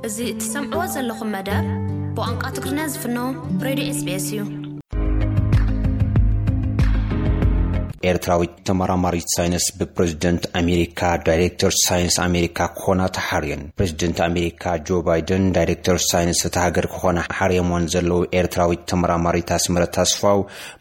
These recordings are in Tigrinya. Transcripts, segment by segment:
እዚ እትሰምዕዎ ዘለኹም መደብ ብቋንቋ ትግርኛ ዝፍኖ ሬድዮ ኤስቢኤስ እዩ። ኤርትራዊት ተመራማሪት ሳይንስ ብፕሬዝደንት ኣሜሪካ ዳይሬክተር ሳይንስ ኣሜሪካ ክኾና ተሓርየን። ፕሬዝደንት ኣሜሪካ ጆ ባይደን ዳይሬክተር ሳይንስ እታ ሃገር ክኾና ሓርየሞን ዘለዉ ኤርትራዊት ተመራማሪት ኣስመረት ኣስፋው፣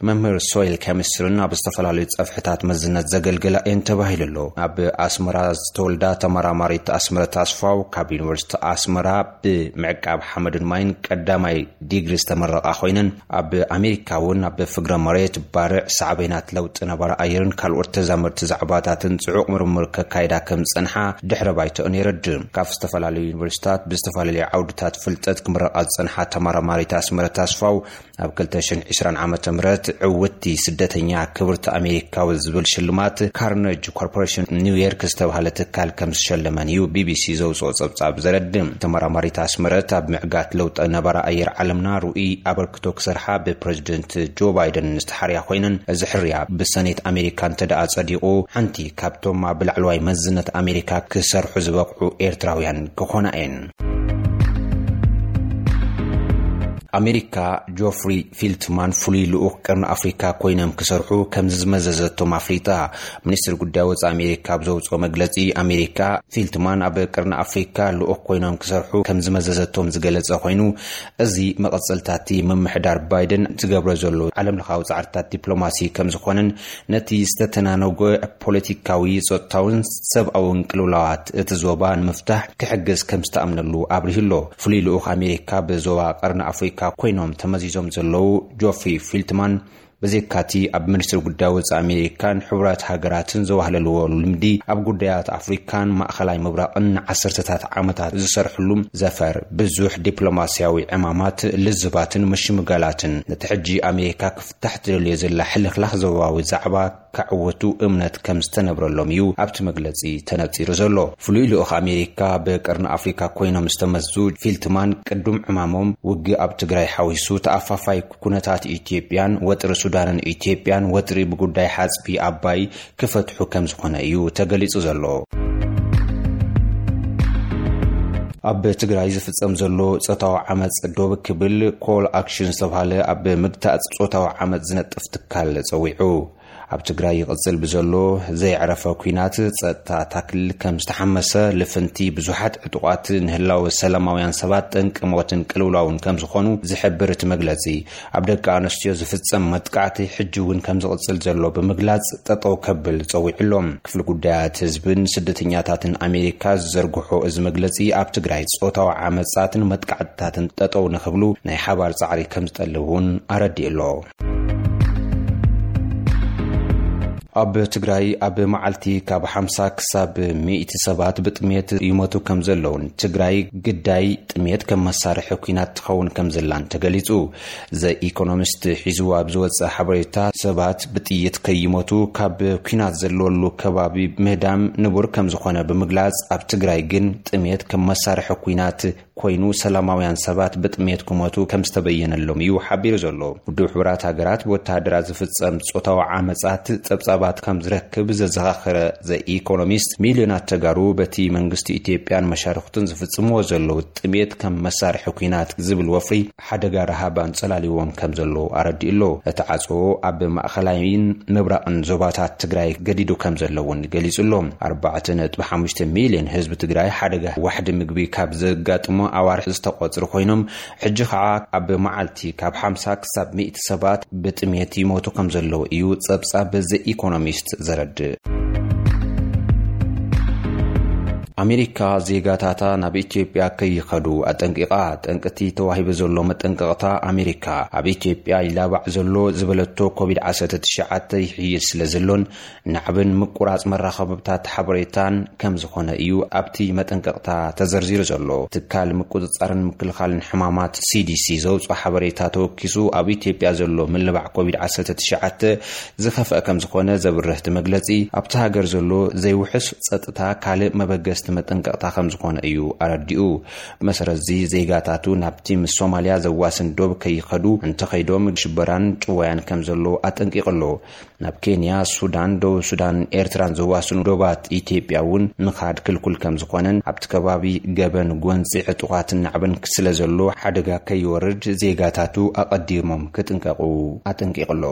መምህር ሶይል ኬሚስትሪን ኣብ ዝተፈላለዩ ጸፍሕታት መዝነት ዘገልግላ እየን ተባሂሉ ኣሎ። ኣብ ኣስመራ ዝተወልዳ ተመራማሪት ኣስመረት ኣስፋው፣ ካብ ዩኒቨርሲቲ ኣስመራ ብምዕቃብ ሓመድን ማይን ቀዳማይ ዲግሪ ዝተመረቓ ኮይነን፣ ኣብ ኣሜሪካ እውን ኣብ ፍግረ መሬት፣ ባርዕ፣ ሳዕቤናት ለውጢ ነባሪ ኣየርን ካልኦት ተዛመድቲ ዛዕባታትን ጽዑቕ ምርምር ከካይዳ ከም ዝጸንሓ ድሕረ ባይተኦን የረድእ። ካብ ዝተፈላለዩ ዩኒቨርሲታት ብዝተፈላለዩ ዓውድታት ፍልጠት ክምረቓ ዝጸንሓ ተመራማሪት ኣስመረት ኣስፋው፣ ኣብ ክልተ ሽሕን ዕስራን ዓመተ ምህረት ዕውትቲ ስደተኛ ክብርቲ ኣሜሪካዊ ዝብል ሽልማት ካርነጅ ኮርፖሬሽን ኒውዮርክ ዝተባህለ ትካል ከም ዝሸለመን እዩ ቢቢሲ ዘውፅኦ ጸብጻብ ዘረድእ። ተመራማሪት ኣስመረት ኣብ ምዕጋት ለውጢ ነባሪ ኣየር ዓለምና ርኡይ ኣበርክቶ ክሰርሓ ብፕሬዝደንት ጆ ባይደን ዝተሓርያ ኮይነን፣ እዚ ሕርያ ብሰኔት ኣሜሪካ እንተ ደኣ ጸዲቑ፣ ሓንቲ ካብቶም ኣብ ላዕለዋይ መዝነት ኣሜሪካ ክሰርሑ ዝበቕዑ ኤርትራውያን ክኾና እየን። ኣሜሪካ ጆፍሪ ፊልትማን ፍሉይ ልኡኽ ቀርኒ ኣፍሪካ ኮይኖም ክሰርሑ ከም ዝመዘዘቶም ኣፍሊጣ። ሚኒስትሪ ጉዳይ ወጻኢ ኣሜሪካ ኣብ ዘውጽኦ መግለጺ፣ ኣሜሪካ ፊልትማን ኣብ ቀርኒ ኣፍሪካ ልኡኽ ኮይኖም ክሰርሑ ከም ዝመዘዘቶም ዝገለጸ ኮይኑ፣ እዚ መቐጸልታቲ ምምሕዳር ባይደን ዝገብሮ ዘሎ ዓለምለኻዊ ጻዕርታት ዲፕሎማሲ ከም ዝኾነን፣ ነቲ ዝተተናነጎ ፖለቲካዊ፣ ጸጥታውን ሰብኣውን ቅልውላዋት እቲ ዞባ ንምፍታሕ ክሕግዝ ከም ዝተኣምነሉ ኣብሪሁ ኣሎ። ፍሉይ ልኡኽ ኣሜሪካ ብዞባ ቀርኒ ኣፍሪካ ኮይኖም ተመዚዞም ዘለዉ ጆፍሪ ፊልትማን፣ ብዘይካቲ ኣብ ሚኒስትሪ ጉዳይ ወጻኢ ኣሜሪካን ሕቡራት ሃገራትን ዘዋህለልዎ ልምዲ፣ ኣብ ጉዳያት ኣፍሪካን ማእኸላይ ምብራቕን ንዓሰርተታት ዓመታት ዝሰርሕሉ ዘፈር ብዙሕ ዲፕሎማስያዊ ዕማማት፣ ልዝባትን ምሽምጋላትን፣ ነቲ ሕጂ ኣሜሪካ ክፍታሕ ትደልዮ ዘላ ሕልኽላኽ ዞባዊ ዛዕባ ከዕውቱ እምነት ከም ዝተነብረሎም እዩ ኣብቲ መግለጺ ተነጺሩ ዘሎ። ፍሉይ ልኡኽ ኣሜሪካ ብቀርኒ ኣፍሪካ ኮይኖም ዝተመዝዙ ፊልትማን፣ ቅዱም ዕማሞም ውግእ ኣብ ትግራይ ሓዊሱ ተኣፋፋይ ኩነታት ኢትዮጵያን ወጥሪ ሱዳንን ኢትዮጵያን ወጥሪ ብጉዳይ ሓጽቢ ኣባይ ክፈትሑ ከም ዝኾነ እዩ ተገሊጹ ዘሎ። ኣብ ትግራይ ዝፍጸም ዘሎ ጾታዊ ዓመጽ ዶብ ክብል ኮል ኣክሽን ዝተባህለ ኣብ ምግታእ ጾታዊ ዓመጽ ዝነጥፍ ትካል ጸዊዑ። ኣብ ትግራይ ይቕጽል ብዘሎ ዘየዕረፈ ኲናት፣ ጸጥታ እታ ክልል ከም ዝተሓመሰ፣ ልፍንቲ ብዙሓት ዕጡቓት ንህላወ ሰላማውያን ሰባት ጠንቂ ሞትን ቅልውላውን ከም ዝኾኑ ዝሕብር እቲ መግለጺ፣ ኣብ ደቂ ኣንስትዮ ዝፍጸም መጥቃዕቲ ሕጂ እውን ከም ዝቕጽል ዘሎ ብምግላጽ፣ ጠጠው ከብል ጸዊዑ ኣሎ። ክፍሊ ጉዳያት ህዝብን ስደተኛታትን ኣሜሪካ ዝዘርግሖ እዚ መግለጺ፣ ኣብ ትግራይ ጾታዊ ዓመጻትን መጥቃዕትታትን ጠጠው ንኽብሉ ናይ ሓባር ጻዕሪ ከም ዝጠልብ እውን ኣረዲኡ ኣሎ። ኣብ ትግራይ ኣብ መዓልቲ ካብ ሓምሳ ክሳብ ሚእቲ ሰባት ብጥሜት ይሞቱ ከም ዘለውን፣ ትግራይ ግዳይ ጥሜት ከም መሳርሒ ኲናት ትኸውን ከም ዘላን ተገሊጹ። ዘ ኢኮኖሚስት ሒዝዎ ኣብ ዝወጸ ሓበሬታ፣ ሰባት ብጥይት ከይሞቱ ካብ ኲናት ዘለወሉ ከባቢ ምህዳም ንቡር ከም ዝኾነ ብምግላጽ፣ ኣብ ትግራይ ግን ጥሜት ከም መሳርሒ ኲናት ኮይኑ ሰላማውያን ሰባት ብጥሜት ክሞቱ ከም ዝተበየነሎም እዩ ሓቢሩ ዘሎ። ውድብ ሕቡራት ሃገራት ብወተሃደራት ዝፍጸም ጾታዊ ዓመጻት ጸብጻባት ከም ዝረክብ ዘዘኻኸረ ዘ ኢኮኖሚስት፣ ሚልዮናት ተጋሩ በቲ መንግስቲ ኢትዮጵያን መሻርኽቱን ዝፍጽምዎ ዘለዉ ጥሜት ከም መሳርሒ ኲናት ዝብል ወፍሪ ሓደጋ ረሃብ ኣንጸላልዎም ከም ዘሎ ኣረዲኡ ኣሎ። እቲ ዓጽዎ ኣብ ማእኸላይን ምብራቕን ዞባታት ትግራይ ገዲዱ ከም ዘሎ እውን ገሊጹ ኣሎ። ኣርባዕተ ነጥቢ ሓሙሽተ ሚልዮን ህዝቢ ትግራይ ሓደጋ ዋሕዲ ምግቢ ካብ ዘጋጥሞ ኣዋርሕ ዝተቖጽሩ ኮይኖም፣ ሕጂ ኸዓ ኣብ መዓልቲ ካብ ሓምሳ ክሳብ ሚእቲ ሰባት ብጥሜት ይሞቱ ከም ዘለዉ እዩ ጸብጻብ ዘ ኢኮኖሚስት ዘረድእ። ኣሜሪካ ዜጋታታ ናብ ኢትዮጵያ ከይኸዱ ኣጠንቂቓ። ጠንቅቲ ተዋሂቡ ዘሎ መጠንቀቕታ ኣሜሪካ፣ ኣብ ኢትዮጵያ ይላባዕ ዘሎ ዝበለቶ ኮቪድ ዓሰርተ ትሽዓተ ይሕይል ስለ ዘሎን ናዕብን ምቁራጽ መራኸብታት ሓበሬታን ከም ዝኾነ እዩ ኣብቲ መጠንቀቕታ ተዘርዚሩ ዘሎ። ትካል ምቁጽጻርን ምክልኻልን ሕማማት ሲዲሲ ዘውጽኦ ሓበሬታ ተወኪሱ፣ ኣብ ኢትዮጵያ ዘሎ ምልባዕ ኮቪድ ዓሰርተ ትሽዓተ ዝኸፍአ ከም ዝኾነ ዘብርህ እቲ መግለጺ፣ ኣብቲ ሃገር ዘሎ ዘይውሑስ ጸጥታ ካልእ መበገስቲ መጠንቀቕታ ከም ዝኾነ እዩ ኣረዲኡ። ብመሰረት እዚ ዜጋታቱ ናብቲ ምስ ሶማልያ ዘዋስን ዶብ ከይኸዱ፣ እንተኸይዶም ሽበራን ጭወያን ከም ዘሎ ኣጠንቂቑ ኣሎ። ናብ ኬንያ፣ ሱዳን፣ ደቡብ ሱዳን፣ ኤርትራን ዘዋስኑ ዶባት ኢትዮጵያ እውን ምኻድ ክልኩል ከም ዝኾነን ኣብቲ ከባቢ ገበን፣ ጎንፂ፣ ዕጡቓትን ናዕብን ስለ ዘሎ ሓደጋ ከይወርድ ዜጋታቱ ኣቐዲሞም ክጥንቀቑ ኣጠንቂቑ ኣሎ።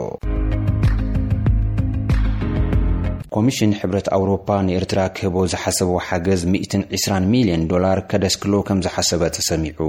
ኮሚሽን ሕብረት ኣውሮፓ ንኤርትራ ክህቦ ዝሓሰቦ ሓገዝ ሚእትን ዕስራን ሚልዮን ዶላር ከደስክሎ ከም ዝሓሰበ ተሰሚዑ።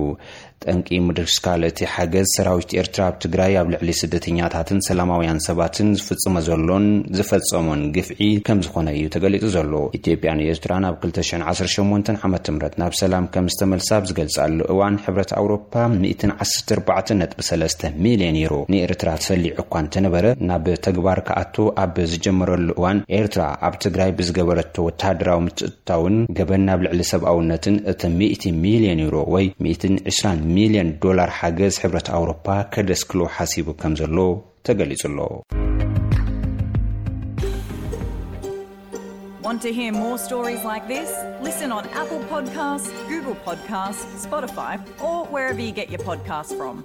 ጠንቂ ምድስካል እቲ ሓገዝ ሰራዊት ኤርትራ ኣብ ትግራይ ኣብ ልዕሊ ስደተኛታትን ሰላማውያን ሰባትን ዝፍጽሞ ዘሎን ዝፈጸሞን ግፍዒ ከም ዝኾነ እዩ ተገሊጹ ዘሎ። ኢትዮጵያን ኤርትራን ኣብ ክልተ ሽሕን ዓሰርተ ሸሞንተን ዓመተ ምህረት ናብ ሰላም ከም ዝተመልሳ ኣብ ዝገልጻሉ እዋን፣ ሕብረት ኣውሮፓ ሚእትን ዓሰርተ ኣርባዕተን ነጥቢ ሰለስተ ሚልዮን ዩሮ ንኤርትራ ሰሊዑ እኳ እንተነበረ፣ ናብ ተግባር ክኣቱ ኣብ ዝጀመረሉ እዋን፣ ኤርትራ ኣብ ትግራይ ብዝገበረቶ ወታደራዊ ምትእትታውን ገበን ናብ ልዕሊ ሰብኣውነትን እቲ ሚእቲ ሚልዮን ዩሮ ወይ ሚእትን ዕስራን ሚልዮን ዶላር ሓገዝ ሕብረት ኣውሮፓ ከደስክሎ ሓሲቡ ከም ዘሎ ተገሊጹ ኣሎ። Want to hear more stories like this? Listen on Apple Podcasts, Google Podcasts, Spotify, or wherever you get your podcasts from.